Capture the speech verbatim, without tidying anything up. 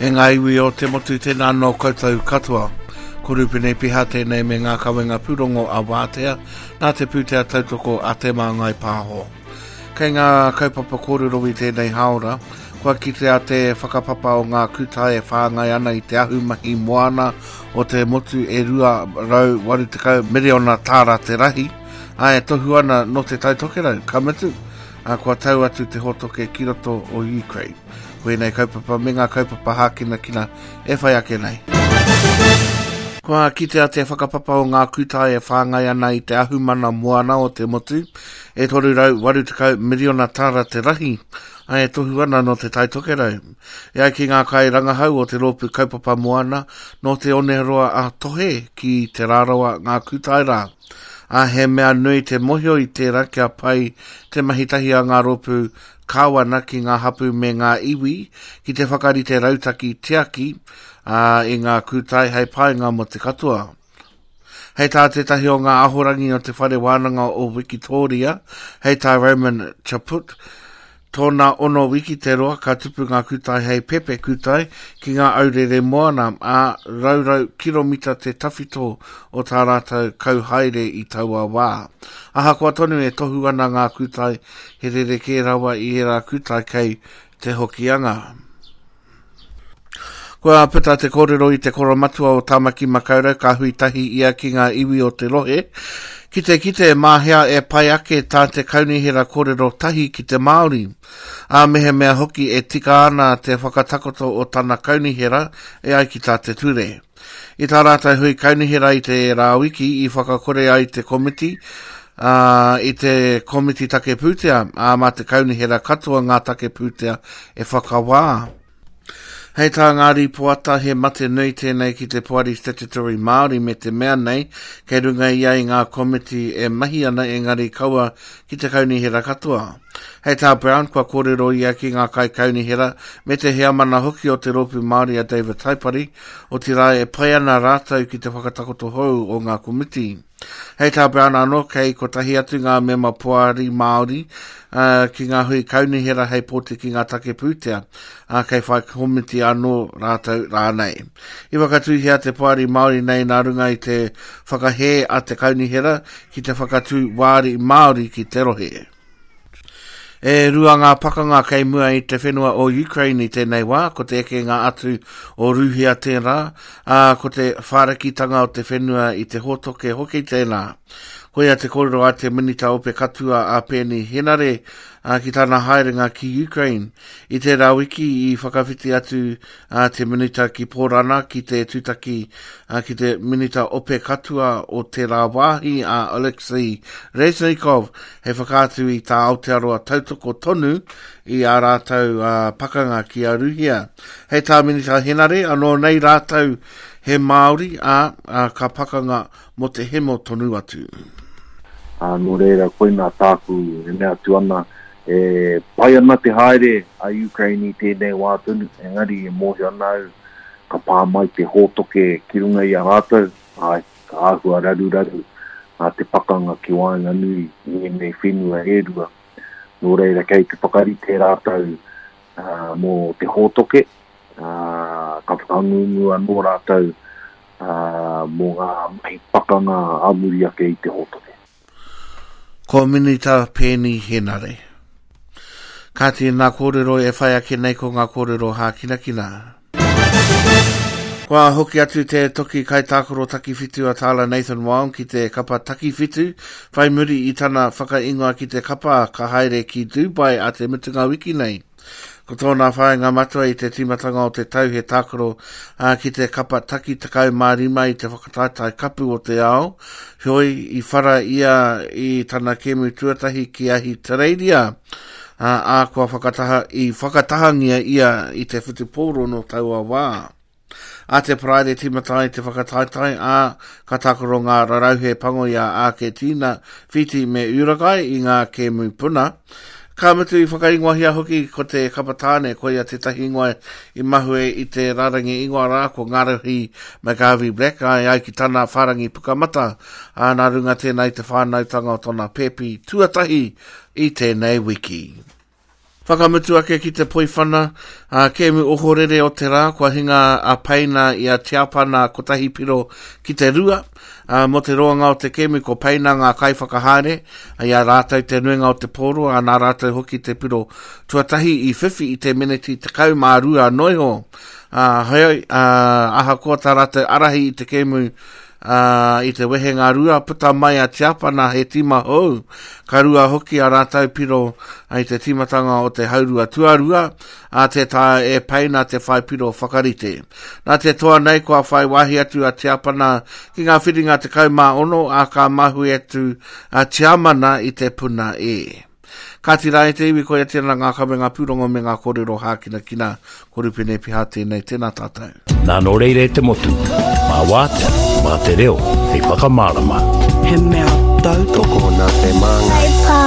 E ngā iwi o te motu tēnā nō koutou katoa. Ko Rupene Piha tēnei me ngā kawenga pūrongo a Wātea, nā te pūtea tautoko a Te Māngai Pāho. Kei ngā kaupapa kōrero i tēnei hāora, kua kitea te whakapapa o ngā kūtai e whāngai ana i te ahumahi moana o te motu e rua rau waru tekau miriona tāra te rahi, ā, e tohu ana nō te Tai Tokerau, ka mutu, ā, kua tau atu te hōtoke ki roto o Ukraine. Ko ēnei kaupapa me ngā kaupapa hākinakina e whai ake nei. Kua kitea te whakapapa o ngā kūtai e whāngai ana i te ahumana moana o te motu, e toru rau waru tekau miriona tāra te rahi, ā, e tohu ana nō te Tai Tokerau. E ai ki ngā kairangahau o te rōpū kaupapa moana, nō te oneroa a Tohe ki Te Rarawa ngā kūtai rā. Ā, he mea nui te mohio i tērā kia pai te mahi tahi a ngā rōpū kāwana ki ngā hapū me ngā iwi ki te whakarite rautaki tiaki, ā, i ngā kūtai hei painga mō te katoa. Hei tā tētahi o ngā ahorangi o te Whare Wānanga o Wikitoria, hei tā Roman Chaput, tōna ono wiki te roa ka tupu ngā kūtai hei pepe kūtai ki ngā aurere moana, ā, raurau kiromita te tawhito o tā rātou kauhaere i taua wā. Ahakoa tonu e tohu ana ngā kūtai, he rerekē rawa i ērā kūtai kei te Hokianga. Kua puta te kōrero i te koromatua o Tāmaki Makaurau ka hui tahi ia ki ngā iwi o te rohe, ki te kite mā hea e pai ake tā te kaunihera kōrero tahi ki te Māori. Ā, mehemea hoki e tika ana te whakatakoto o tana kaunihera e ai ki tā te ture. I tā rātou hui kaunihera i te rā wiki i whakakore ai te komiti, ā, i te komiti take pūtea, ā, mā te kaunihera katoa ngā take pūtea e whakawā. Hei tā ngā rīpoata, he mate nui tēnei ki te Poari Statutory Māori me te mea nei, kei runga ia i ngā komiti e mahi ana engari kaua ki te kaunihera katoa. Hei tā Brown, kua kōrero ia ki ngā kaikaunihera me te heamana hoki o te rōpū Māori a David Taipari, otirā e pai ana rātou ki te whakatakoto hou o ngā komiti. Hei tā Brown anō, kei kotahi atu ngā mema poari Māori, ā, ki ngā hui kaunihera hei pōti ki ngā take pūtea, ā, kei whai komiti anō rātou rānei. I whakatūhia te poari Māori nei nā runga i te whakahē a te kaunihera ki te whakatū wāri Māori ki te rohe. E rua ngā pakanga kei mua i te whenua o Ukraine i tēnei wā, ko te ekenga atu o Rūhia tērā, ā, ko te whārakitanga o te whenua i te hōtoke hoki tēnā. Koia te kōrero a te Minita Ope Katua a Peeni Henare, ā, ki tana haerenga ki Ukraine. I tērā wiki i whakawhiti atu a te Minita ki Pōrana ki te tūtaki, ā, ki te Minita Ope Katua o tērā wāhi a Oleksiy Reznikov hei whakaatu i tā Aotearoa tautoko tonu i ā rātou, ā, pakanga ki a Rūhia. Hei tā Minita Henare, anō nei rātou he Māori, ā, ā, ka pakanga mō te hemo tonu atu. Ā, nō reira, koinā tāku e mea atu ana, e pai ana te haere a Ukraine i tēnei wā tonu, engari e mōhio ana au ka pā mai te hōtoke ki runga i a rātou, āe, ka āhua raruraru a te pakanga ki waenganui i ēnei whenua e rua. Nō reira, kei te whakarite rātou, ā, mō te hōtoke, ā, ka whakangungu anō rātou, ā, mō ngā mahi pakanga ā muri ake i te hōtoke. Ko Minita Peeni Henare. Kāti nā kōrero e whai ake nei ko ngā kōrero hākinakina. Kua hoki atu te toki kaitākaro takiwhitu a Tyler Nathan Wong ki te kapa takiwhitu, whai muri i tana whakaingoa ki te kapa ka haere ki Dubai a te mutunga wiki nei. Ko tōna whāinga matua i te tīmatanga o te tau he tākaro, ā, ki te kapa taki tekau mā rima i te whakataetae kapu o te ao, heoi i whara ia i tana kēmu tuatahi ki Ahitereiria, ā, ā, kua whakataha, i whakatahangia ia i te whutupōro nō taua wā. A te Paraire tīmata ai te whakataetae, ā, ka tākaro ngā rarauhe pango i a Āketīna, Whītī me Uragai i ngā kēmu puna. Ka mutu i whakaingoahia hoki ko te kapa tāne, koia tētahi ingoa i mahue i te rārangi ingoa rā, ko Ngārohi McGarvey Black, ai ai ki tana whārangi pukamata, ā, nā runga tēnā i te whānautanga o tōna pēpi tuatahi i tēnei wiki. Whakamutu ake ki te poiwhana, a kēmu ohorere o te rā, kua hinga a Peina i a Tiapana kotahi piro ki te rua. A, mō te roanga o te kēmu ko Peina ngā kaiwhakahaere, i a rātou te nuinga o te pōro, a nā rātou hoki te piro tuatahi i whiwhi i te meneti tekau mā rua noiho. A, heoi, a, ahakoa tā rātou arahi i te kēmu, Uh, i te wehenga rua puta mai a Tiapana he tima hou. Ka rua hoki a rātou piro i te timatanga o te haurua tuarua, a te tae e Peina te whai piro whakarite. Nā te toa nei kua whai wāhi atu a Tiapana ki ngā whiringa tekau mā ono, a ka mahue atu a Tiamana i te puna e. Kāti rā e te iwi, koia tēnā ngā kawenga pūrongo me ngā kōrero hākinakina. Ko Rupene Piha tēnei, tēnā tātou. Nā nō reira e te motu, mā wātea, mā te reo, hei whakamārama. He mea tautoko. Tokona te māngai.